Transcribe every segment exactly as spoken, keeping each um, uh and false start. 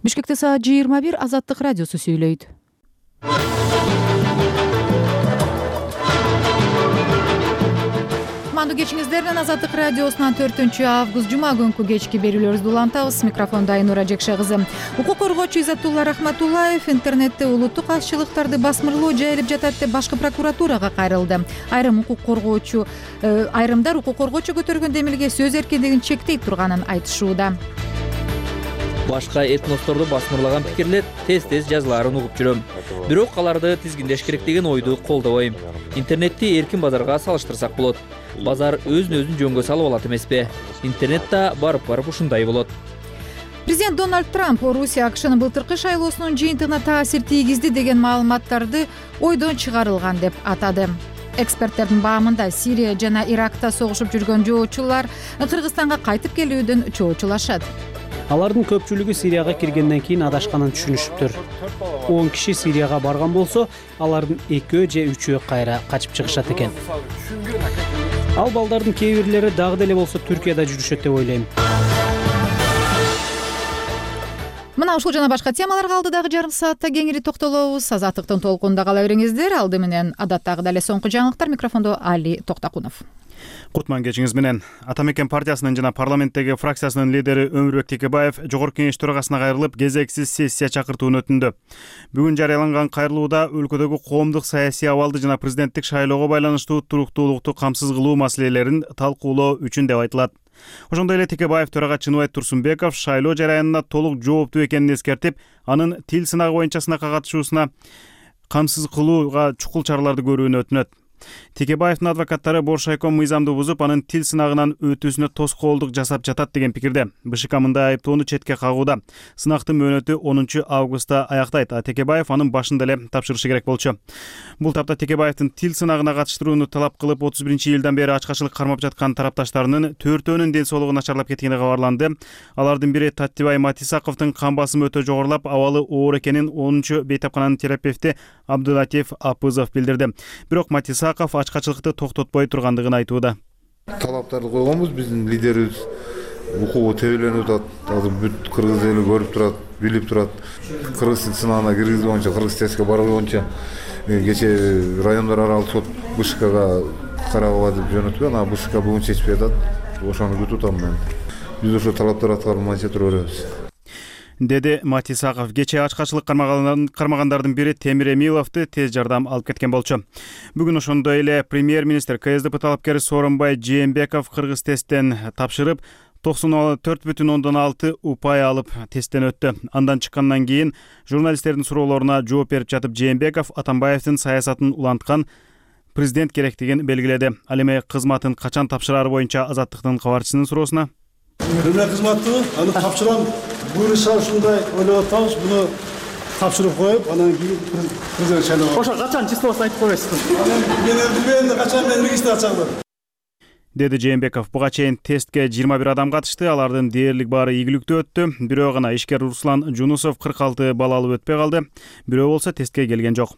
Бишкекте саат жыйырма бир. Азаттык радиосу сүйлөйт. Кутмандуу кечиңиздер менен Азаттык радиосунан төртүнчү август жума күнкү кечки берүүлөрүбүздү улантабыз. Микрофондо Айнура Жекше кызы. Укук коргоочу Изаттулла Рахматуллаев интернетте улуттук азчылыктарды басмырлоо жайылып жатат деп башкы прокуратурага кайрылды. Айрым укук коргоочу айрымдар укук коргоочу көтөргөн демилге сөз эркиндигин чектей турганын айтышууда. Башка этносторду басмырлаган пикирлер тез-тез жазылаарын угуп жүрөм. Бирок аларды тизгиндеш керек деген ойду колдобойм. Интернетти эркин базарга салыштырсак болот. Базар өзүн-өзүн жөнгө салып алат эмеспи? Интернет да барып-барып ушундай болот. Президент Дональд Трамп Орусия АКШнын былтыркы шайлоосунун жыйынтыгына таасир тийгизди деген маалыматтарды ойдон чыгарылган деп атады. Эксперттердин баамында Сирия жана Иракта согушуп жүргөн жоочулар Кыргызстанга кайтып келүүдөн чоочулашат. Алардын көпчүлүгү Сирияга киргенден кийин адашканын түшүнүшүптүр. он киши Сирияга барган болсо, алардын экөө же үчөө кайра качып чыгышат экен. Ал балдардын кээ бирлери дагы деле болсо Түркияда жүрүшөт деп ойлойм. Мына ушул жана башка темаларга алдыдагы жарым саатта кеңири токтолобуз. Азаттыктын толкунунда кала бериңиздер. Алды менен адаттагы эле соңку жаңылыктар. Микрофондо Али Токтакунов. Кутман кечиңиз менен. Атамекен партиясынын жана парламенттеги фракциясынын лидери Өмүрбек Текебаев Жогорку Кеңеш төрагасына кайрылып, кезексиз сессия чакыртуун өтүндү. Бүгүн жарыяланган кайрылууда өлкөдөгү коомдук саясий абалды жана президенттик шайлоого байланыштуу туруктуулукту камсыз кылуу маселелерин талкуулоо үчүн деп айтылат. Ошондой эле Текебаев төрага Чыныбай Турсунбеков шайлоо жараянына толук жооптуу экенин эскертип, анын тил сынагы боюнча сынакка катышуусуна камсыз кылууга чукул чараларды көрүүнү өтүнөт. Текебаевдин адвокаттары Боршайком мыйзамды бузуп, анын тил сынагынан өтүүсүнө тоскоолдук жасап жатат деген пикирде. БШК мындай айыптоону четке кагууда. Сынактын мөөнөтү онунчу августта аяктайт, а Текебаев анын башында эле тапшырышы керек болчу. Бул тапта Текебаевдин тил сынагына катыштырууну талап кылып, отуз биринчи июлдан бери ачкачылык кармап жаткан тарапташтарынын төртөөнүн ден соолугу начарлап кеткени кабарланды. Алардын бири Таттибай Матисаковдун кан басымы өтө жогорулап, абалы оор экенин онунчу бейтапкананын терапевти Абдулатиф Апызов билдирди. Бирок Матисаков ачкачылыкты токтотпой тургандыгын айтууда. Талаптарды койгонбуз, биздин лидерибиз укугу тебеленип атат. Азыр бүт кыргыз эли көрүп турат, билип турат. Кыргыз тил сынагына киргизүү боюнча, кыргыз тестке баруу боюнча кече райондор аралык сот БШКга карабыга деп жөнөткөн, анан БШК бүгүн чечпей атат. Ошону күтүп атам мен. Биз ошо талаптар аткарылмайынча тура беребиз, деди Матисаков. Кече ачкачылык кармагандардын бири Темир Эмиловду тез жардам алып кеткен болчу. Бүгүн ошондой эле премьер-министр КСДП талапкери Сооронбай Жээнбеков кыргыз тесттен тапшырып, токсон төрт бүтүн ондон алты упай алып тесттен өттү. Андан чыккандан кийин журналисттердин суроолоруна жооп берип жатып, Жээнбеков Атамбаевдин саясатын уланткан президент керектигин белгиледи. Ал эми кызматын качан тапшырары боюнча Азаттыктын кабарчысынын суроосуна: Мына кызматты аны тапшырам, буюрса ушундай ойлоп атабыз, буну тапшырып коюп, анан кийин президент шайлоого. Ошо качан числосун айтып койсуз? Мен билбейм, качан мен регистрациялар. деди Жээнбеков. Буга чейин тестке жыйырма бир адам катышты. Алардын дээрлик баары ийгиликтүү өттү. Бирөө гана ишкер Руслан Жунусов кырк алты балл алып өтпөй калды. Бирөө болсо тестке келген жок.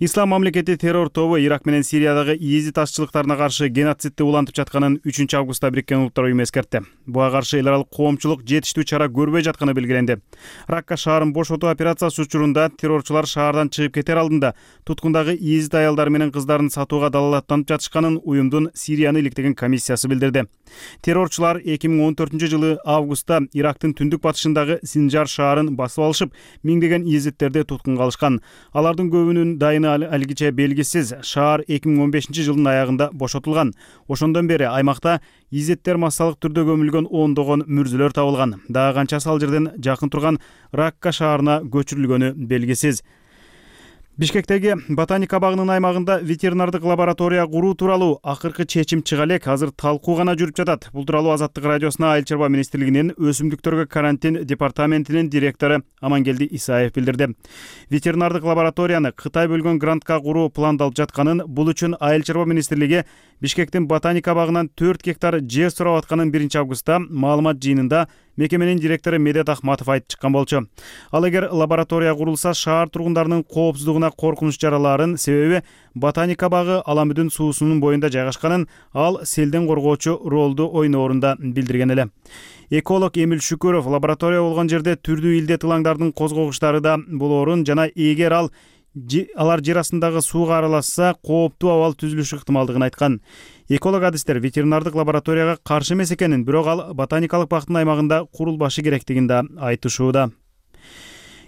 Ислам мамлекети террор тобу Ирак менен Сириядагы иезит азчылыктарына каршы геноцидти улантып жатканын үчүнчү августта Бириккен Улуттар уюму эскертти. Буга каршы эл аралык коомчулук жетиштүү чара көрбөй жатканы белгиленди. Ракка шаарын бошотуу операциясы учурунда террорчулар шаардан чыгып кетер алдында туткундагы иезит аялдар менен кыздарын сатууга далалаттанып жатышканын уюмдун Сирияны иликтеген комиссиясы билдирди. Террорчулар эки миң он төртүнчү жылы августта Ирактын түндүк батышындагы Синжар шаарын басып алышып, миңдеген иезиттерди туткунга алышкан. Алардын көбүнүн дайыны алгиче белгисиз. Шаар эки миң он бешинчи жылдын аягында бошотулган. Ошондон бери аймакта изеттер массалык түрдө көмүлгөн ондогон мүрзөлөр табылган. Дагы канчасы ал жерден жакын турган Ракка шаарына көчүрүлгөнү белгисиз. Бишкектеги ботаника багынын аймагында ветеринардык лаборатория куруу тууралуу акыркы чечим чыга элек. Азыр талкуу гана жүрүп жатат. Бул тууралуу Азаттык радиосуна Айыл чарба министрлигинин өсүмдүктөргө карантин департаментинин директору Амангелди Исаев билдирди. Ветеринардык лабораторияны Кытай бөлгөн грантка куруу пландалып жатканын, бул үчүн Айыл чарба министрлиги Бишкектин ботаника багынан төрт гектар жер сурап атканын биринчи августта маалымат жыйынында мекеменин директору Медет Ахматов айтып чыккан болчу. Ал эгер лаборатория курулса, шаар тургундарынын коопсуздугуна коркунуч жаралаарын, себеби ботаника багы Аламүдүн суусунун боюнда жайгашканын, ал селден коргоочу ролду ойноорун билдирген эле. Эколог Эмил Шүкөров лаборатория болгон жерде түрдүү илдет ылаңдардын козгогучтары да болоорун жана эгер ал алар жер астындагы сууга аралашса, кооптуу абал түзүлүшү ыктымалдыгын айткан. Эколог адистер ветеринардык лабораторияга каршы эмес экенин, бирок ал ботаникалык бактын аймагында курулбашы керектигин да айтышууда.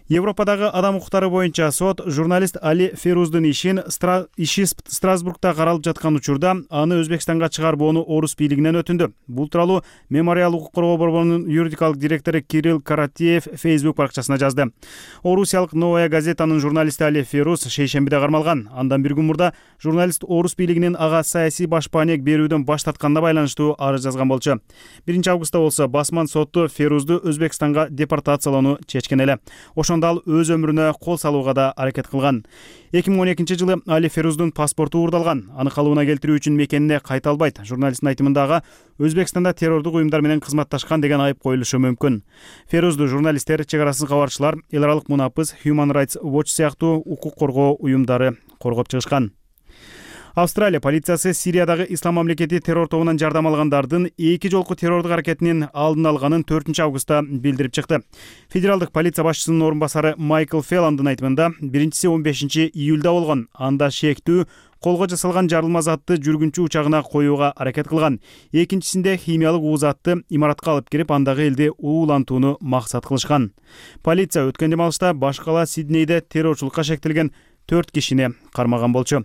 Европадагы адам укуктары боюнча сот журналист Али Феруздун ишин иши Страсбургда каралып жаткан учурда аны Өзбекстанга чыгарбоону орус бийлигинен өтүндү. Бул тууралуу Мемориал укук коргоо борборунун юридикалык директору Кирилл Каратеев Facebook баракчасына жазды. Орусиялык Новая газетанын журналисти Али Феруз шейшембиде кармалган. Андан бир күн мурда журналист орус бийлигинин ага саясий башпаанек берүүдөн баш тартканына байланыштуу арыз жазган болчу. биринчи августта болсо басман сотту Ферузду Өзбекстанга депортациялоону чечкен эле. Ошондо ал өз өмүрүнө кол салууга да аракет кылган. эки миң он экинчи жылы Али Феруздун паспорту уурдалган. Аны калыбына келтирүү үчүн мекенине кайта албайт. Журналисттин айтымында ага Өзбекстанда террордук уюмдар менен кызматташкан деген айып коюлушу мүмкүн. Ферузду журналисттер, чек арасыз кабарчылар, эл аралык мунапыз, Human Rights Watch сыяктуу укук коргоо уюмдары коргоп чыгышкан. Австралия полициясы Сириядагы Ислам мамлекети террор тобунан жардам алгандардын эки жолку террордук аракетинин алдын алганын төртүнчү августта билдирип чыкты. Федералдык полиция башчысынын орун басары Майкл Фелландын айтымында биринчиси он бешинчи июлда болгон. Анда шектүү колго жасалган жарылма затты жүргүнчү учагына коюуга аракет кылган. Экинчисинде химиялык уу затты имаратка алып кирип, андагы элди уулантууну максат кылышкан. Полиция өткөн демалышта баш кала Сиднейде террорчулукка шектелген төрт кишини кармаган болчу.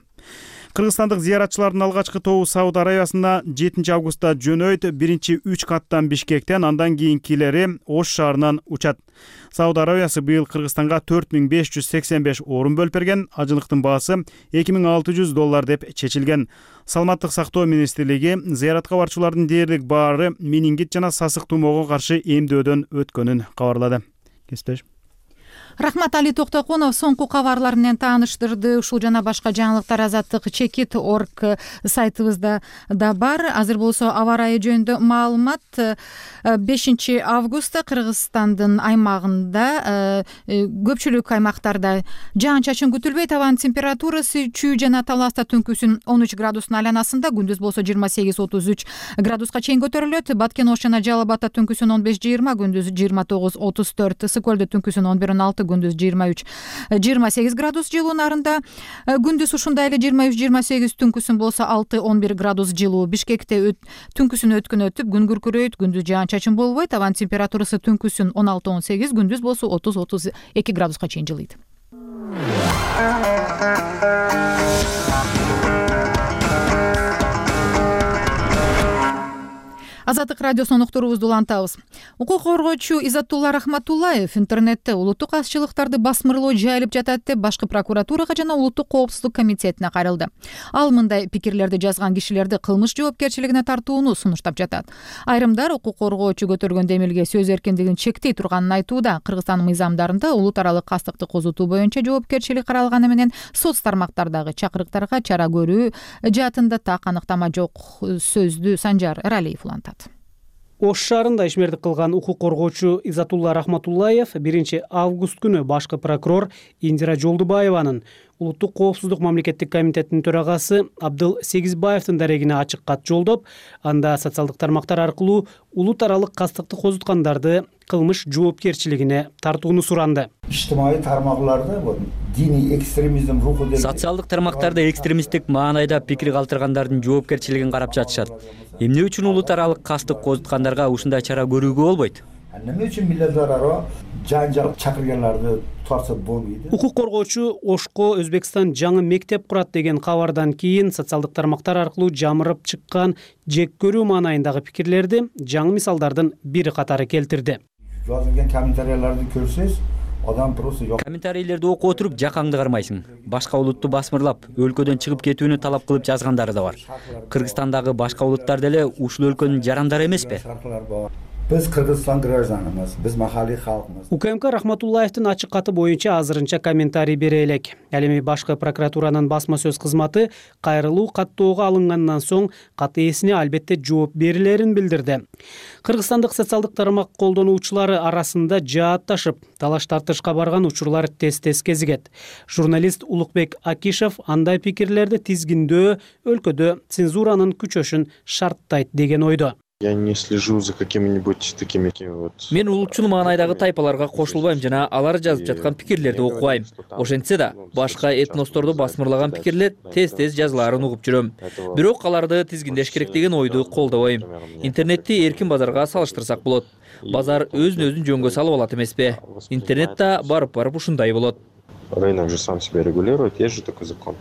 Кыргызстандык зыяратчылардын алгачкы тобу Сауд Арабиясына жетинчи августта жөнөйт. Биринчи үч каттан Бишкектен, андан кийинкилери Ош шаарынан учат. Сауд Арабиясы быйыл Кыргызстанга төрт миң беш жүз сексен беш орун бөлүп берген. Ажылыктын баасы эки миң алты жүз доллар деп чечилген. Саламаттык сактоо министрлиги зыяратка барчулардын дээрлик баары менингит жана сасык тумоого каршы эмдөөдөн өткөнүн кабарлады. Кесиптеш. Рахмат, Али Токтокунов соңку кабарлар менен тааныштырды. Ушул жана башка жаңылыктар азаттык чекит точка орг сайтыбызда да бар. Азыр болсо аба ырайы жөнүндө маалымат. бешинчи августта Кыргызстандын аймагында көпчүлүк аймактарда жаан-чачын күтүлбөйт. Абанын температурасы чүй жана Таласта түнкүсүн он үч градустун айланасында, күндүз болсо жыйырма сегиз отуз үч градуска чейин көтөрүлөт. Баткен Ош жана Жалал Абадта түнкүсүн он беш жыйырма, күндүз жыйырма тогуз отуз төрт, Ысык Көлдө түнкүсүн он бир он алты, күндүз жыйырма үч жыйырма сегиз градус жылуу. Нарында күндүз ушундай эле жыйырма үч жыйырма сегиз, түнкүсүн болсо алты он бир градус жылуу. Бишкекте түнкүсүн өткөн өтүп, күн күркүрөйт, күндүз жаан-чачын болбойт. Абанын температурасы түнкүсүн он алты он сегиз, күндүз болсо отуз отуз эки градуска чейин жылыйт. Азаттык радиосунун уктуруубузду улантабыз. Укук коргоочу Иззатулла Рахматуллаев интернетте улуттук азчылыктарды басмырлоо жайылып жатат деп башкы прокуратурага жана улуттук коопсуздук комитетине кайрылды. Ал мындай пикирлерди жазган кишилерди кылмыш жоопкерчилигине тартууну сунуштап жатат. Айрымдар укук коргоочу көтөргөн демилге сөз эркиндигин чектей турганын айтууда. Кыргызстан мыйзамдарында улут аралык кастыкты козутуу боюнча жоопкерчилик каралганы менен соц тармактардагы чакырыктарга чара көрүү жаатында так аныктама жок. Сөздү Санжар Эралиев улантат. Ош шаарында ишмердик кылган укук коргоочу Иззатулла Рахматуллаев биринчи август күнү башкы прокурор Индира Жолдубаеванын улуттук коопсуздук мамлекеттик комитетинин төрагасы Абдыл Сегизбаевдин дарегине ачык кат жолдоп, анда социалдык тармактар аркылуу улут аралык кастыкты козуткандарды кылмыш жоопкерчилигине тартууну суранды. Ижтимаий тармактарда диний экстремизм руху деп социалдык тармактарда экстремисттик маанайда пикир калтыргандардын жоопкерчилигин карап жатышат. Эмне үчүн улут аралык кастык козуткандарга ушундай чара көрүүгө болбойт? Эмне үчүн милләттер ара жан-жак чакырганларды тартса болбойт? Укук коргоочу Ошко Өзбекстан жаңы мектеп курат деген кабардан кийин социалдык тармактар аркылуу жамырып чыккан жек көрүү маанайындагы пикирлерди жаңы мисалдардын бири катары келтирди. Жазылган комментарийлерди көрсөз, адам просто жок. Комментарийлерди окуп отуруп жакаңды кармайсың. Башка улутту басмырлап, өлкөдөн чыгып кетүүнү талап кылып жазгандары да бар. Кыргызстандагы башка улуттар деле ушул өлкөнүн жарандары эмеспи? Biz Kırgızistan гражданымыз, biz mahalliy халкыбыз. УКМК Рахматуллаевдин ачык каты боюнча азырынча комментарий бере элек. Ал эми башкы прокуратуранын басма сөз кызматы кайрылуу каттоого алынгандан соң кат ээсине албетте жооп берилерин билдирди. Кыргызстандык социалдык тармак колдонуучулары арасында жаатташып, талаш тартышка барган учурлар тез-тез кезигет. Журналист Улукбек Акишев андай пикирлерди тизгиндөө өлкөдө цензуранын күчөшүн шарттайт деген ойдо. Я не слежу за какими-нибудь такими вот. Мен улутчул маанайдагы тайпаларга кошулбайм жана алар жазып жаткан пикирлерди окубайм. Ошентсе да, башка этносторду басмырлаган пикирлер тез-тез жазылаарын угуп жүрөм. Бирок аларды тизгиндеш керек деген ойду колдобойм. Интернетти эркин базарга салыштырсак болот. Базар өзүн-өзүн жөнгө салып алат эмеспи? Интернет да барып-барып ушундай болот. Рынок же сам себя регулирует, есть же такой закон.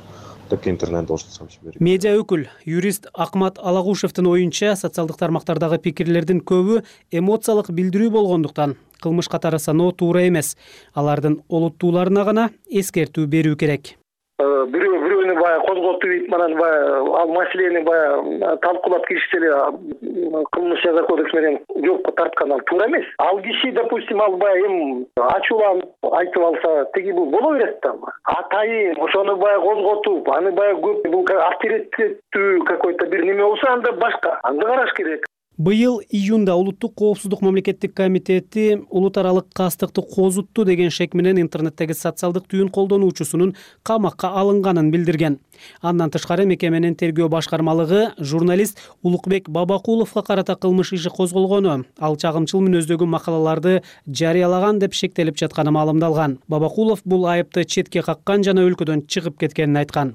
Так и интернет должен сам себе регулировать. Медиа өкүл, юрист Акмат Алагушевдин оюнча, социалдык тармактардагы пикирлердин көбү эмоциялык билдирүү болгондуктан кылмыш катары саноо туура эмес. Алардын олуттууларына гана эскертүү берүү керек. Бирөө бирөөнү баягы козготуп ийип, анан баягы ал маселени баягы талкуулап киришсе эле кылмыш жаза кодекс менен жоопко тарткан ал туура эмес. Ал киши, допустим, ал баягы эми ачууланып айтып алса, теги бул боло берет да. Атайын ошону баягы козготуп, аны баягы көп бул авторитеттүү какой-то бир неме болсо, анда башка, анда караш керек. Быйыл июнда Улуттук коопсуздук мамлекеттик комитети улут аралык кастыкты козутту деген шек менен интернеттеги социалдык түйүн колдонуучусунун камакка алынганын билдирген. Андан тышкары мекеменин тергөө башкармалыгы журналист Улукбек Бабакуловго карата кылмыш иши козголгону, ал чагымчыл мүнөздөгү макалаларды жарыялаган деп шектелип жатканы маалымдалган. Бабакулов бул айыпты четке каккан жана өлкөдөн чыгып кеткенин айткан.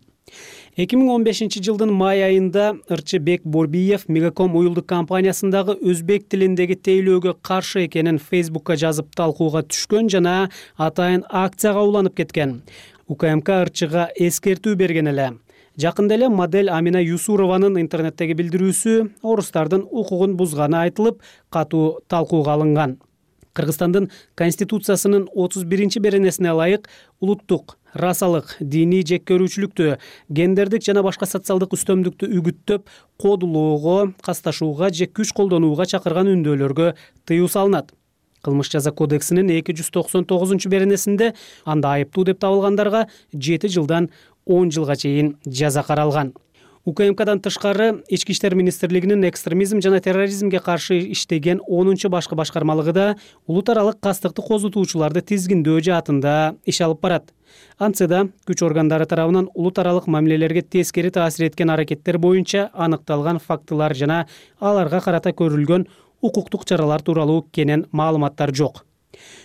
эки миң он бешинчи жылдын май айында Ырчыбек Борбиев Мегаком уюлдук компаниясындагы өзбек тилиндеги тейлөөгө каршы экенин Фейсбукка жазып талкууга түшкөн жана атайын акцияга уланып кеткен. УКМК Ырчыга эскертүү берген эле. Жакында эле модель Амина Юсурованын интернеттеги билдирүүсү орустардын укугун бузганы айтылып, катуу талкууга алынган. Кыргызстандын Конституциясынын отуз биринчи беренесине ылайык улуттук, расалык, диний жеккөрүүчүлүктү, гендердик жана башка социалдык үстөмдүктү үгүттөп, кодулоого, касташууга же күч колдонууга чакырган үндөөлөргө тыюу салынат. Кылмыш жаза кодексинин эки жүз токсон тогузунчу беренесинде анда айыптуу деп табылгандарга жети жылдан он жылга чейин жаза каралган. УКМКдан тышкары Ички иштер министрлигинин экстремизм жана терроризмге каршы иштеген онунчу башкы башкармалыгы да улут аралык кастыкты козутуучуларды тизгиндөө жаатында иш алып барат. Антсе да күч органдары тарабынан улут аралык мамилелерге тескери таасир эткен аракеттер боюнча аныкталган фактылар жана аларга карата көрүлгөн укуктук чаралар тууралуу кенен маалыматтар жок.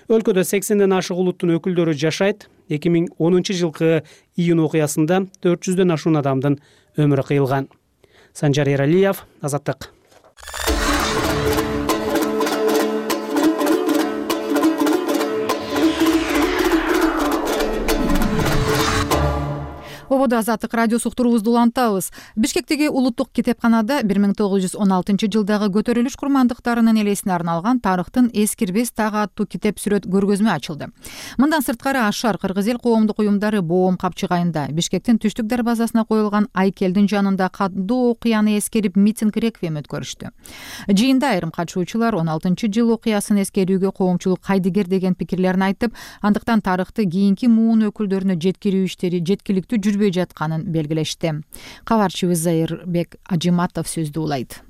Өлкөдө сексенден ашык улуттун өкүлдөрү жашайт. эки миң онунчу жылкы июнь окуясында төрт жүздөн ашуун адамдын өмүрү кыйылган. Санжар Эралиев, Азаттык. Ободо Азаттык радиосу уктуруубузду улантабыз. Бишкектеги улуттук китепканада бир миң тогуз жүз он алтынчы жылдагы көтөрүлүш курмандыктарынын элесине арналган тарыхтын эскирбес тагы аттуу китеп сүрөт көргөзмө ачылды. Мындан сырткары Ашар Кыргыз эл коомдук уюмдары Боом капчыгайында Бишкектин түштүк дарбазасына коюлган айкелдин жанында кандуу окуяны эскерип митинг реквием өткөрүштү. Жыйында айрым катышуучулар он алтынчы жыл окуясын эскерүүгө коомчулук кайдыгер деген пикирлерин айтып, андыктан тарыхты кийинки муун өкүлдөрүнө жеткирүү иштери жеткиликтүү жүрбөй жатканын белгилешти. Кабарчыбыз Зайырбек Ажиматов сөздү улайт.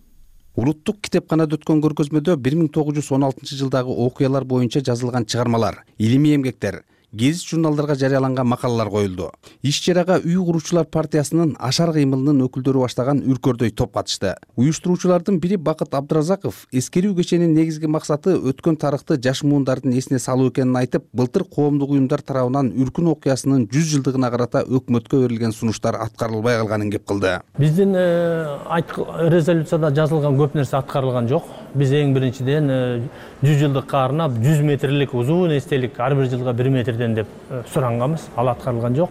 Улуттук китепканада өткөн көргөзмөдө бир миң тогуз жүз он алтынчы жылдагы окуялар боюнча жазылган чыгармалар, илимий эмгектер, гезит журналдарга жарыяланган макалалар коюлду. Иш-чарага үй куруучулар партиясынын Ашар кыймылынын өкүлдөрү баштаган үркөрдөй топ катышты. Уюштуруучулардын бири Бакыт Абдыразаков эскерүү кеченин негизги максаты өткөн тарыхты жаш муундардын эсине салуу экенин айтып, былтыр коомдук уюмдар тарабынан Үркүн окуясынын жүз жылдыгына карата өкмөткө берилген сунуштар аткарылбай калганын кеп кылды. Биздин резолюцияда жазылган көп нерсе аткарылган жок. Биз эң биринчиден жүз жылдыкка арнап жүз метрлик узун эстелик ар бир жылга бир метрден деп суранганбыз. Ал аткарылган жок.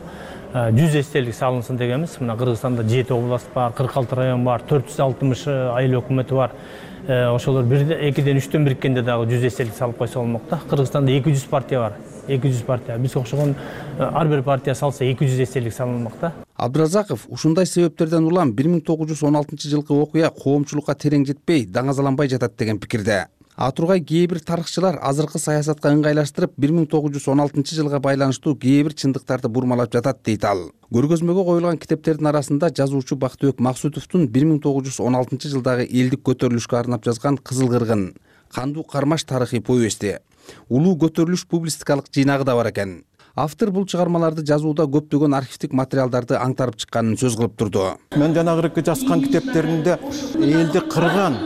жүз эстелик салынсын дегенбиз. Мына Кыргызстанда жети област бар, кырк алты район бар, төрт жүз алтымыш айыл өкмөтү бар. Ошолор экиден үчтөн бириккенде дагы жүз эстелик салып койсо болмок да. Кыргызстанда эки жүз партия бар. эки жүз партия. Биз окшогон ар бир партия салса эки жүз эстелик салынмак да. Абдыразаков ушундай себептерден улам бир миң тогуз жүз он алтынчы жылкы окуя коомчулукка терең жетпей, даңазаланбай жатат деген пикирде. А тургай кээ бир тарыхчылар азыркы саясатка ыңгайлаштырып бир миң тогуз жүз он алтынчы жылга байланыштуу кээ бир чындыктарды бурмалап жатат дейт ал. Көргөзмөгө коюлган китептердин арасында жазуучу Бактыбек Максутовдун бир миң тогуз жүз он алтынчы жылдагы элдик көтөрүлүшкө арнап жазган Кызыл кыргын, Кандуу кармаш тарыхый повести, Улуу көтөрүлүш публистикалык жыйнагы да бар экен. Автор бул чыгармаларды жазууда көптөгөн архивдик материалдарды аңтарып чыкканын сөз кылып турду. Мен жанагыркы жазган китептеримде элди кырган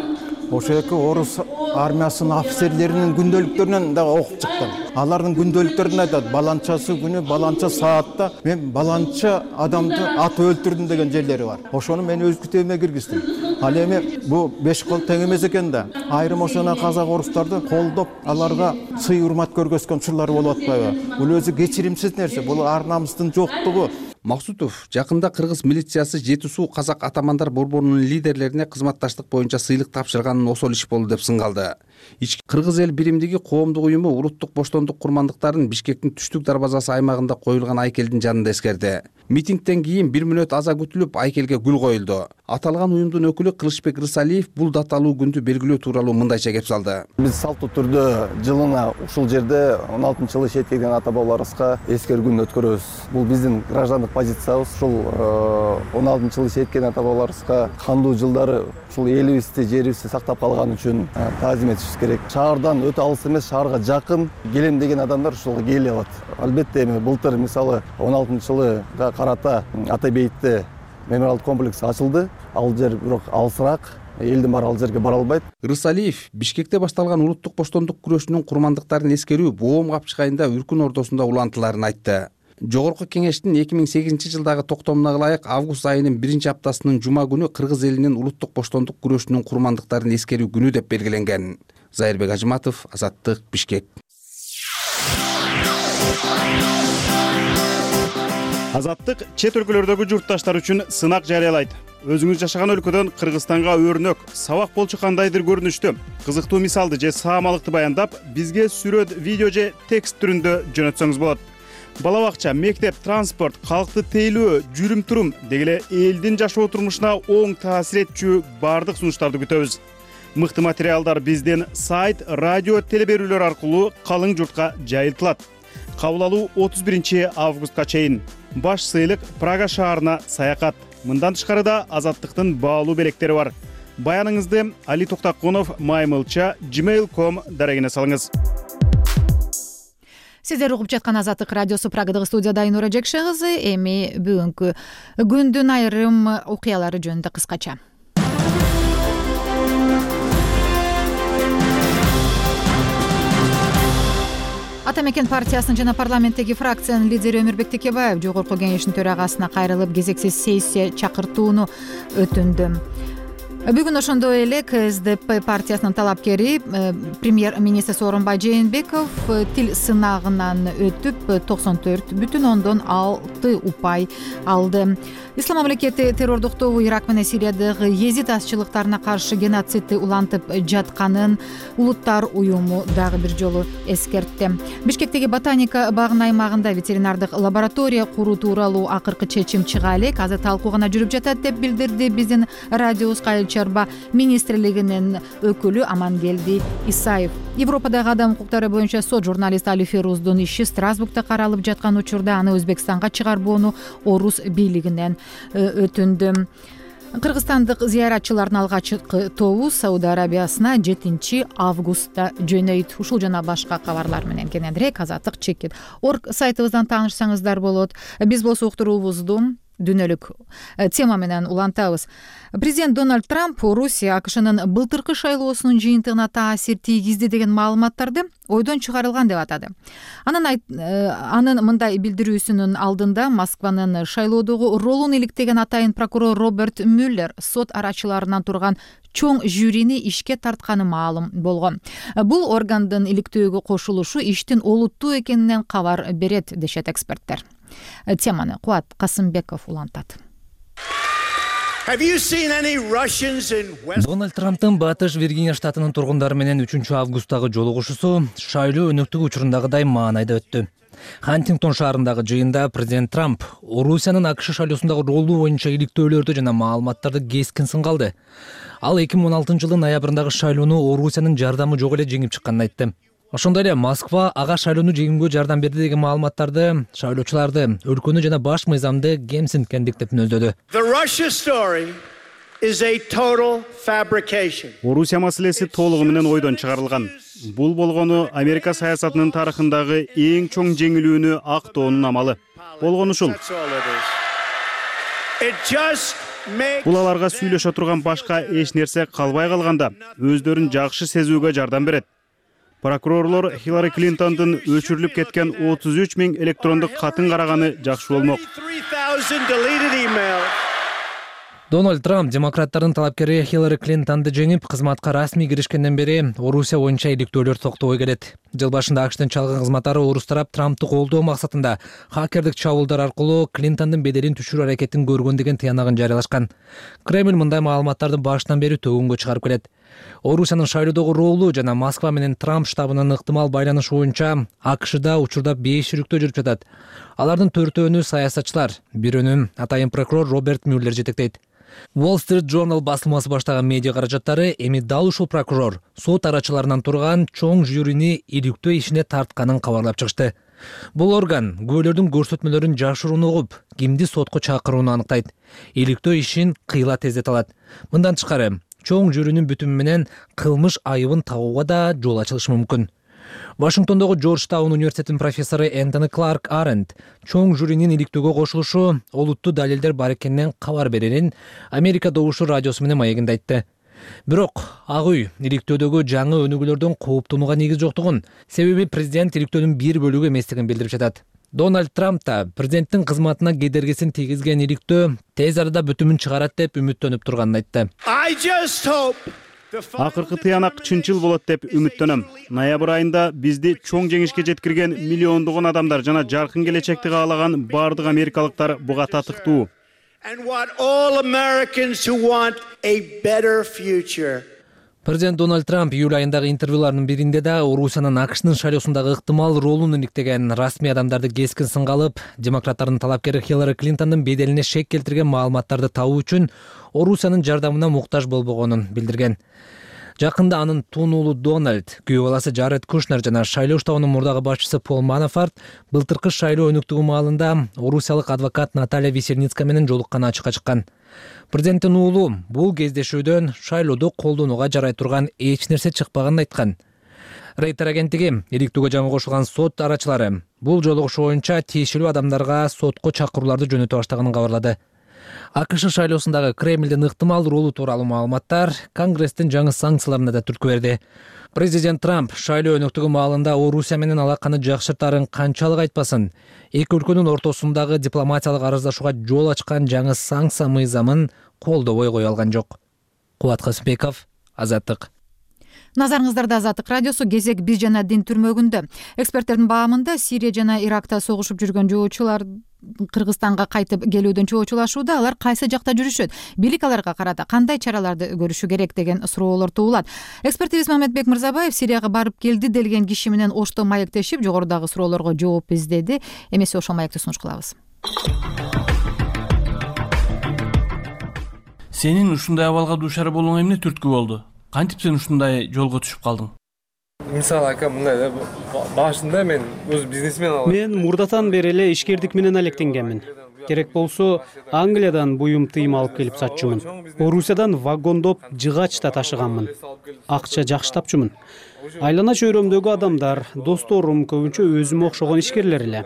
ошо эки орус армиясынын офицерлеринин күндөлүктөрүнөн да окуп чыктым. Алардын күндөлүктөрүндө айтат, баланчасы күнү, баланча саатта мен баланча адамды ат өлтүрдүм деген жерлери бар. Ошону мен өз китебиме киргиздим. Ал эми бул беш кол тең эмес экен да. Айрым ошоно казак орустарды колдоп, аларга сый урмат көргөзгөн учурлар болуп атпайбы? Бул өзү кечиримсиз нерсе, бул ар намыстын жоктугу. Максутов жакында кыргыз милициясы Жети суу казак атамандар борборунун лидерлерине кызматташтык боюнча сыйлык тапшырганын осол иш болду деп сынгалды. Ички кыргыз эл биримдиги коомдук уюму улуттук боштондук курмандыктарын Бишкектин түштүк дарбазасы аймагында коюлган айкелдин жанында эскерди. Митингден кийин бир мүнөт аза күтүлүп, айкелге гүл коюлду. Аталган уюмдун өкүлү Кылычбек Рысалиев бул даталуу күндү белгилөө тууралуу мындайча кеп салды. Биз салттуу түрдө жылына ушул жерде он алтынчы жылы шеткен ата бабаларыбызга эскерүү күнүн өткөрөбүз. Бул биздин граждандык позициябыз. Ушул он алтынчы жылы шеткен ата бабаларыбызга кандуу жылдары ушул элибизди, жерибизди сактап калган үчүн таазим этишибиз керек. Шаардан өтө алыс эмес, шаарга жакын келем деген адамдар ушулга келе алат. Албетте эми былтыр мисалы он алтынчы жылыга карата Ата бейитте мемориалдык комплекс ачылды. Ал жер бирок алысыраак, элдин баары ал жерге бара албайт. Рысалиев Бишкекте башталган улуттук боштондук күрөшүнүн курмандыктарын эскерүү боом капчыгайында Үркүн ордосунда улантыларын айтты. Жогорку кеңештин эки миң сегизинчи жылдагы токтомуна ылайык август айынын биринчи аптасынын жума күнү кыргыз элинин улуттук боштондук күрөшүнүн курмандыктарын эскерүү күнү деп белгиленген. Зайырбек Ажыматов, Азаттык, Бишкек. Азаттык чет өлкөлөрдөгү журтташтар үчүн сынак жарыялайт. Өзүңүз жашаган өлкөдөн Кыргызстанга өрнөк, сабак болчу кандайдыр көрүнүштү, кызыктуу мисалды же саамалыкты баяндап, бизге сүрөт, видео же текст түрүндө жөнөтсөңүз болот. Бала бакча, мектеп, транспорт, калкты тейлөө, жүрүм-турум деги эле элдин жашоо турмушуна оң таасир этчү бардык сунуштарды күтөбүз. Мыкты материалдар биздин сайт, радио, телеберүүлөр аркылуу калың журтка жайылтылат. Кабыл алуу отуз биринчи августка чейин. Баш сыйлык Прага шаарына саякат. Мындан тышкары да Азаттыктын баалуу белектери бар. Баяныңызды Али Токтакунов маймылча gmail точка ком дарегине салыңыз. Сиздер угуп жаткан Азаттык радиосу Прагадагы студияда Айнура Жекше кызы. Эми бүгүнкү күндүн айрым окуялары жөнүндө кыскача. Ата мекен партиясынын жана парламенттеги фракциянын лидери Өмүрбек Текебаев жогорку кеңештин төрагасына кайрылып кезексиз сессия чакыртууну өтүндү. Бүгүн ошондой эле К С Д П партиясынын талапкери премьер-министр Сооронбай Жээнбеков тил сынагынан өтүп токсон төрт бүтүн ондон алты упай алды. Ислам мамлекети террордуктоо Ирак менен Сириядагы езид азчылыктарына каршы геноцидди улантып жатканын улуттар уюму дагы бир жолу эскертти. Бишкектеги ботаника багынын аймагында ветеринардык лаборатория куруу тууралуу акыркы чечим чыга элек. Азыр талкуу гана жүрүп жатат деп билдирди биздин радиобуз Айыл чарба министрлигинин өкүлү Амангелди Исаев. Европадагы адам укуктары боюнча сот журналист Али Феруздун иши Страсбургда каралып жаткан учурда аны Өзбекстанга чыгарбоону орус бийлигинен өтүндү. Кыргызстандык зыяратчылардын алгачкы тобу Сауд Арабиясына жетинчи августта жөнөйт. Ушул жана башка кабарлар менен кененирээк Азаттык чекит орг сайтыбыздан таанышсаңыздар болот. Биз болсо уктуруубузду дүйнөлүк тема менен улантабыз. Президент Дональд Трамп Орусия АКШнын былтыркы шайлоосунун жыйынтыгына таасир тийгизди деген маалыматтарды ойдон чыгарылган деп атады. Анын анын мындай билдирүүсүнүн алдында Москванын шайлоодогу ролун иликтеген атайын прокурор Роберт Мюллер сот арачыларынан турган чоң жюрини ишке тартканы маалым болгон. Бул органдын иликтөөгө кошулушу иштин олуттуу экенинен кабар берет дешет эксперттер. Теманы Куат Касымбеков улантат. Дональд Трамптын Батыш Виргиния штатынын тургундары менен үчүнчү августтагы жолугушуусу шайлоо өнөктүгү учурундагыдай маанайда өттү. Хантингтон шаарындагы жыйында президент Трамп Орусиянын АКШ шайлоосундагы ролу боюнча иликтөөлөрдү жана маалыматтарды кескин сынга алды. Ал эки миң он алтынчы жылдын ноябрындагы шайлоону Орусиянын жардамы жок эле жеңип чыкканын айтты. Ошондой эле Москва ага шайлоону жеңүүгө жардам берди деген маалыматтарды шайлоочуларды, өлкөнү жана баш мыйзамды кемсинткендик деп мүнөздөдү. Орусия маселеси толугу менен ойдон чыгарылган. Бул болгону Америка саясатынын тарыхындагы эң чоң жеңилүүнү актоонун амалы. Болгону ушул. Бул аларга сүйлөшө турган башка эч нерсе калбай калганда өздөрүн жакшы сезүүгө жардам берет. Прокурорлор Хиллари Клинтондун өчүрүлүп кеткен отуз үч миң электрондук катын караганы жакшы болмок. Дональд Трамп демократтардын талапкери Хиллари Клинтонду жеңип, кызматка расмий киришкенден бери Орусия боюнча иликтөөлөр токтобой келет. Жыл башында АКШтын чалгын кызматтары орус тарап Трамптты колдоо максатында хакердик чабуулдар аркылуу Клинтондун беделин түшүрүү аракетин көргөн деген тыянагын жарыялашкан. Кремль мындай маалыматтарды баштан бери төгүнгө чыгарып келет. Орусиянын шайлоодогу ролу жана Москва менен Трамп штабынын ыктымал байланышы боюнча АКШда учурда беш жүрүктөө жүрүп жатат. Алардын төртөөнү саясатчылар, бирөөнү атайын прокурор Роберт Мюллер жетектейт. Wall Street Journal басылмасы баштаган медиа каражаттары эми дал ушул прокурор сот арачыларынан турган чоң жюрини иликтөө ишине тартканын кабарлап чыгышты. Бул орган күбөлөрдүн көрсөтмөлөрүн жашыруун угуп, кимди сотко чакырууну аныктайт. Иликтөө ишин кыйла тездете алат. Мындан тышкары, чоң жюринин бүтүмү менен кылмыш айыбын табууга да жол ачылышы мүмкүн. Вашингтондогу Джорджтаун университетинин профессору Энтони Кларк Аренд чоң жюринин иликтөөгө кошулушу олуттуу далилдер бар экенинен кабар берерин Америка добушу радиосу менен маегинде айтты. Бирок Ак үй иликтөөдөгү жаңы өнүгүүлөрдөн кооптонууга негиз жоктугун, себеби президент иликтөөнүн бир бөлүгү эместигин билдирип жатат. Дональд Трамп да президенттин кызматына кедергисин тийгизген иликтөө тез арада бүтүмүн чыгарат деп үмүттөнүп турганын айтты. Акыркы тыянак чынчыл болот деп үмүттөнөм. Ноябрь айында бизди чоң жеңишке жеткирген миллиондогон адамдар жана жаркын келечекти каалаган бардык америкалыктар буга татыктуу. Президент Дональд Трамп июль айындагы интервьюларынын биринде да Орусиянын АКШнын шайлоосундагы ыктымал ролун иликтеген расмий адамдарды кескин сынга алып, демократтардын талапкери Хиллари Клинтондун беделине шек келтирген маалыматтарды табуу үчүн Орусиянын жардамына муктаж болбогонун билдирген. Жакында анын тун уулу Дональд, күйөө баласы Джаред Кушнер жана шайлоо штабынын мурдагы башчысы Пол Манафорт былтыркы шайлоо өнүктүгү маалында орусиялык адвокат Наталья Весельницкая менен жолукканы ачыкка чыккан. Президенттин уулу бул кездешүүдөн шайлоодо колдонууга жарай турган эч нерсе чыкпаганын айткан. Рейтер агенттиги иликтөөгө жаңы кошулган сот арачылары бул жолугушуу боюнча тиешелүү адамдарга сотко чакырууларды жөнөтө баштаганын кабарлады. АКШ шайлоосундагы Кремлдин ыктымал ролу тууралуу маалыматтар Конгресстин жаңы санкцияларына да түрткү берди. Президент Трамп шайлоо өнүктүгү маалында Орусия менен алаканы жакшыртаарын канчалык айтпасын, эки өлкөнүн ортосундагы дипломатиялык арыздашууга жол ачкан жаңы санкция мыйзамын колдобой кое алган жок. Кубат Касымбеков, Азаттык. Назарыңыздарда Азаттык радиосу кезек биз жана дин түрмөгүндө. Эксперттердин баамында Сирия жана Иракта согушуп жүргөн жоочулар Кыргызстанга кайтып келүүдөн чоочулашууда. Алар кайсы жакта жүрүшөт? Бийлик аларга карата кандай чараларды көрүшү керек деген суроолор туулат. Экспертибиз Мамедбек Мырзабаев Сирияга барып келди делген киши менен ошто маектешип, жогорудагы суроолорго жооп издеди. Эмесе ошол маекти сунуш кылабыз. Сенин ушундай абалга дуушар болуңа эмне түрткү болду? Кантип сен ушундай жолго түшүп калдың? Мисалы ака мындай да, башында мен өз бизнесмен алам. Мен мурдатан бери эле ишкердик менен алектенгенмин. Керек болсо Англиядан буюм тыйым алып келип сатчумун. Орусиядан вагондоп жыгач да ташыганмын. Акча жакшы тапчумун. Айлана чөйрөмдөгү адамдар, досторум көбүнчө өзүмө окшогон ишкерлер эле.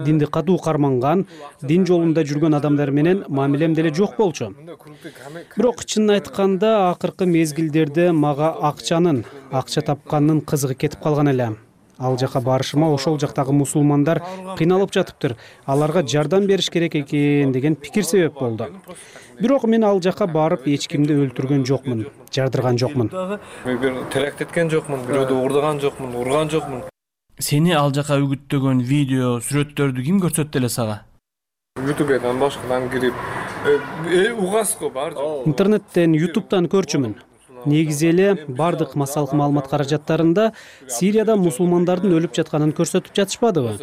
Динди катуу карманган, дин жолунда жүргөн адамдар менен мамилем деле жок болчу. Бирок чынын айтканда акыркы мезгилдерде мага акчанын, акча тапкандын кызыгы кетип калган эле. Ал жака барышыма ошол жактагы мусулмандар кыйналып жатыптыр. Аларга жардам бериш керек экен деген пикир себеп болду. Бирок мен ал жака барып эч кимди өлтүргөн жокмун, жардырган жокмун. Бир теракт эткен жокмун, бирөөдү уурдаган жокмун, урган жокмун. Сени ал жака үгүттөгөн видео, сүрөттөрдү ким көрсөттү эле сага? ютубдан башкадан кирип, угаско бар. Интернеттен, ютубтан көрчүмүн. негизи эле бардык массалык маалымат каражаттарында Сирияда мусулмандардын өлүп жатканын көрсөтүп жатышпадыбы?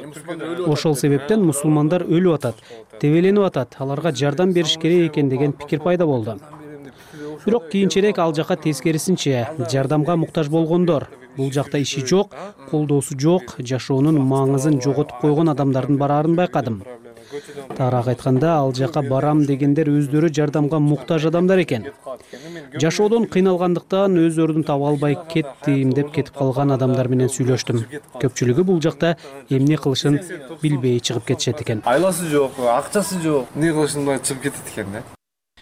Ошол себептен мусулмандар өлүп атат, тебеленип атат, аларга жардам бериш керек экен деген пикир пайда болду. Бирок кийинчерээк ал жака тескерисинче жардамга муктаж болгондор, бул жакта иши жок, колдоосу жок, жашоонун маңызын жоготуп койгон адамдардын бараарын байкадым. Таараак айтканда, ал жака барам дегендер өздөрү жардамга муктаж адамдар экен. Жашоодон кыйналгандыктан өздөрүн таба албай кеттим деп кетип калган адамдар менен сүйлөштүм. Көпчүлүгү бул жакта эмне кылышын билбей чыгып кетишет экен. Айласы жок, акчасы жок, эмне кылышын билбей чыгып кетет экен да.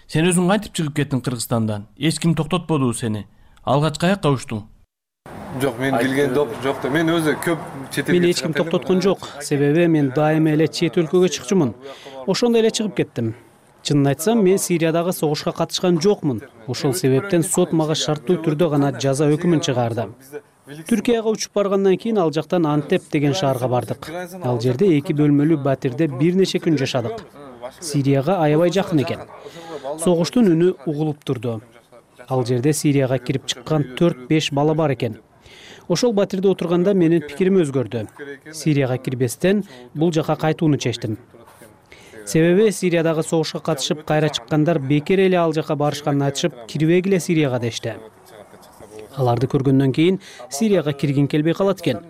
Сен өзүң кантип чыгып кеттиң Кыргызстандан? Эч ким токтотподубу сени? Алгач каяка учтуң? Жок, мен келген жок да. Мен өзү көп чет элге. Мени эч ким токтоткон жок. Себеби мен дайыма эле чет өлкөгө чыкчумун. Ошондой эле чыгып кеттим. Чынын айтсам, мен Сириядагы согушка катышкан жокмун. Ошол себептен сот мага шарттуу түрдө гана жаза өкүмүн чыгарды. Түркияга учуп баргандан кийин ал жактан Антеп деген шаарга бардык. Ал жерде эки бөлмөлүү батирде бир нече күн жашадык. Сирияга аябай жакын экен. Согуштун үнү угулуп турду. Ал жерде Сирияга кирип чыккан төрт беш бала бар экен. Ошол батирде отурганда менин пикирим өзгөрдү. Сирияга кирбестен бул жака кайтууну чечтим. Себеби Сириядагы согушка катышып кайра чыккандар бекер эле ал жака барышканын айтышып, кирбегиле Сирияга дешти. Аларды көргөндөн кийин Сирияга киргин келбей калат экен.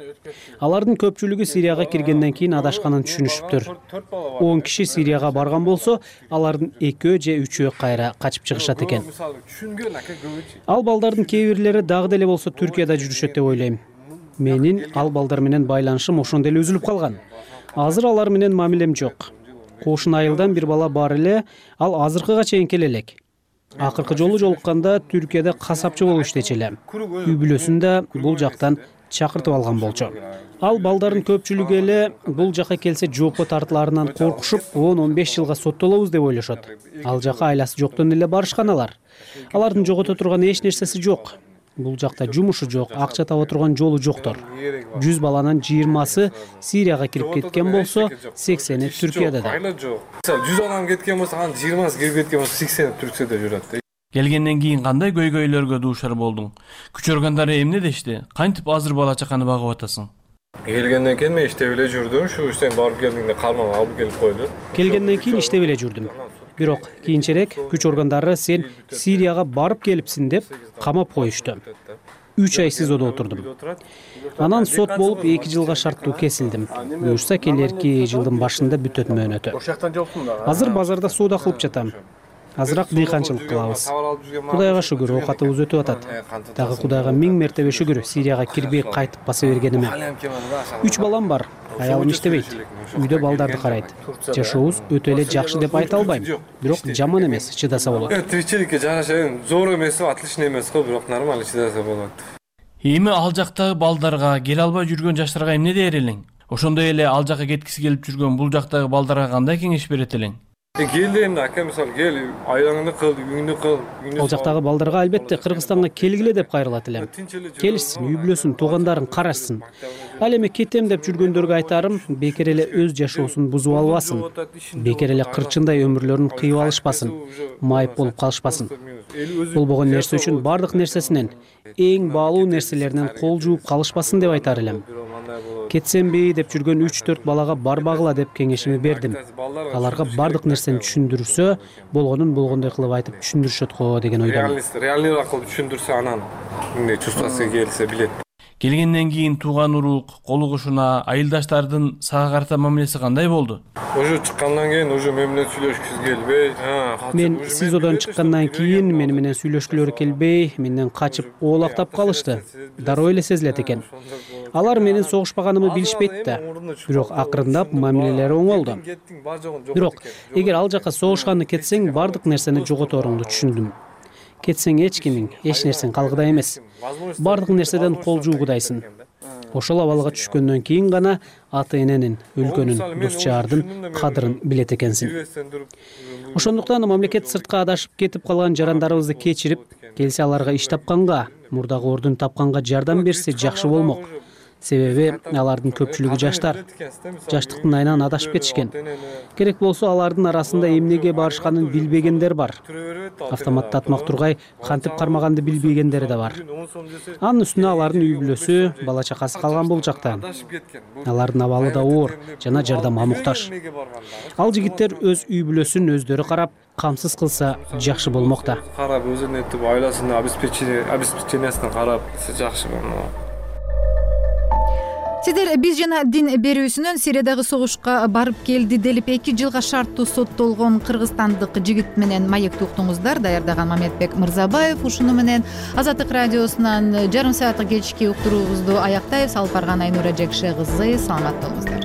Алардын көпчүлүгү Сирияга киргенден кийин адашканын түшүнүшүптүр. он киши Сирияга барган болсо, алардын экөө же үчөө кайра качып чыгышат экен. Ал балдардын кээ бирлери дагы деле болсо Түркияда жүрүшөт деп ойлойм. Менин ал балдар менен байланышым ошондой эле үзүлүп калган. Азыр алар менен мамилем жок. Кошун айылдан бир бала бар эле, ал азыркыга чейин келе элек. Акыркы жолу жолукканда Түркияда касапчы болуп иштечү эле. Үй бүлөсүн да бул жактан чакыртып алган болчу. Ал балдардын көпчүлүгү эле бул жака келсе жоопко тартылаарынан коркушуп, он он беш жылга соттолобуз деп ойлошот. Ал жака айласы жоктон эле барышкан алар. Алардын жогото турган эч нерсеси жок. Бул жакта жумушу жок, акча таба турган жолу жоктор. жүз баланын жыйырмасы Сирияга кирип кеткен болсо, сексени Түркияда да. жүз адам кеткен болсо, анын жыйырмасы кирип кеткен болсо, сексени Түркияда жүрөт. Келгенден кийин кандай көйгөйлөргө дуушар болдуң? Күч органдары эмне дешти? Кантип азыр бала чаканы багып атасың? Келгенден кийин мен иштеп эле жүрдүм. Ушу сен барып келдиңде карман алып келип койду. Келгенден кийин иштеп эле жүрдүм. Бирок кийинчерээк күч органдары сен Сирияга барып келипсиң деп камап коюшту. үч ай СИЗОдо отурдум. Анан сот болуп эки жылга шарттуу кесилдим. Буюрса келерки жылдын башында бүтөт мөөнөтү. Азыр базарда соода кылып жатам. Азыраак дыйканчылык кылабыз. Кудайга шүгүр, оокатыбыз өтүп атат. Дагы Кудайга миң мертебе шүгүр, Сирияга кирбей кайтып баса бергениме. Үч балам бар. Аялым иштебейт. Үйдө балдарды карайт. Жашообуз өтө эле жакшы деп айта албайм. Бирок жаман эмес, чыдаса болот. Тиричиликке жараша зор эмес, отлично эмес го, бирок нормально чыдаса болот. Эми ал жактагы балдарга, келе албай жүргөн жаштарга эмне дээр элең? Ошондой эле ал жака кеткиси келип жүргөн бул жактагы балдарга кандай кеңеш берет элең? Кел эми ака, мисалы кел, айлаңды кыл, үйүңдү кыл. Ал жактагы балдарга албетте Кыргызстанга келгиле деп кайрылат элем. Келишсин, үй бүлөсүн, туугандарын карашсын. Ал эми кетем деп жүргөндөргө айтарым, бекер эле өз жашоосун бузуп албасын. Бекер эле кырчындай өмүрлөрүн кыйып алышпасын, майып болуп калышпасын. Болбогон нерсе үчүн бардык нерсесинен, эң баалуу нерселеринен кол жууп калышпасын деп айтар элем. Кетсемби деп жүргөн үч төрт балага барбагыла деп кеңешими бердим. Аларга бардык нерсени түшүндүрсө, болгонун болгондой кылып айтып түшүндүрүшөт го деген ойдомун. Реальный кылып түшүндүрсө, анан эмне чувствасы келсе билет. Келгенден кийин тууган урук, колу кошуна, айылдаштардын сага карата мамилеси кандай болду? Уже чыккандан кийин уже мен менен сүйлөшкүсү келбей, мен СИЗОдон чыккандан кийин мени менен сүйлөшкүлөрү келбей, менден качып оолактап калышты. Дароо эле сезилет экен. Алар менин согушпаганымды билишпейт да. Бирок акырындап мамилелери оңолду. Бирок эгер ал жака согушканды кетсең, бардык нерсени жоготоруңду түшүндүм. Кетсең эч кимиң, эч нерсең калгыдай эмес. Бардык нерседен кол жуугудайсың. Ошол абалга түшкөндөн кийин гана ата эненин, өлкөнүн, дос жаардын кадырын билет экенсиң. Ошондуктан мамлекет сыртка адашып кетип калган жарандарыбызды кечирип, келсе аларга иш тапканга, мурдагы ордун тапканга жардам берсе жакшы болмок. себеби алардын көпчүлүгү жаштар жаштыктын айынан адашып кетишкен. Керек болсо алардын арасында эмнеге барышканын билбегендер бар. Автоматтатмак тургай кантип кармаганды билбегендери да бар. Анын үстүнө алардын үй бүлөсү, бала чакасы калган бул жакта. Алардын абалы да оор жана жардамга муктаж. Ал жигиттер өз үй бүлөсүн өздөрү карап, камсыз кылса жакшы болмок да. Карап өзүнүн этип айласына обеспечениясына карап жакшы болмок. Сиздер биз жана дин берүүсүнөн Сириядагы согушка барып келди делип эки жылга шарттуу соттолгон кыргызстандык жигит менен маекти уктуңуздар. Даярдаган Мамедбек Мырзабаев. Ушуну менен Азаттык радиосунан жарым сааттык кечки уктуруубузду аяктайбыз. Алып барган Айнура Жекше кызы. Саламат болуңуздар.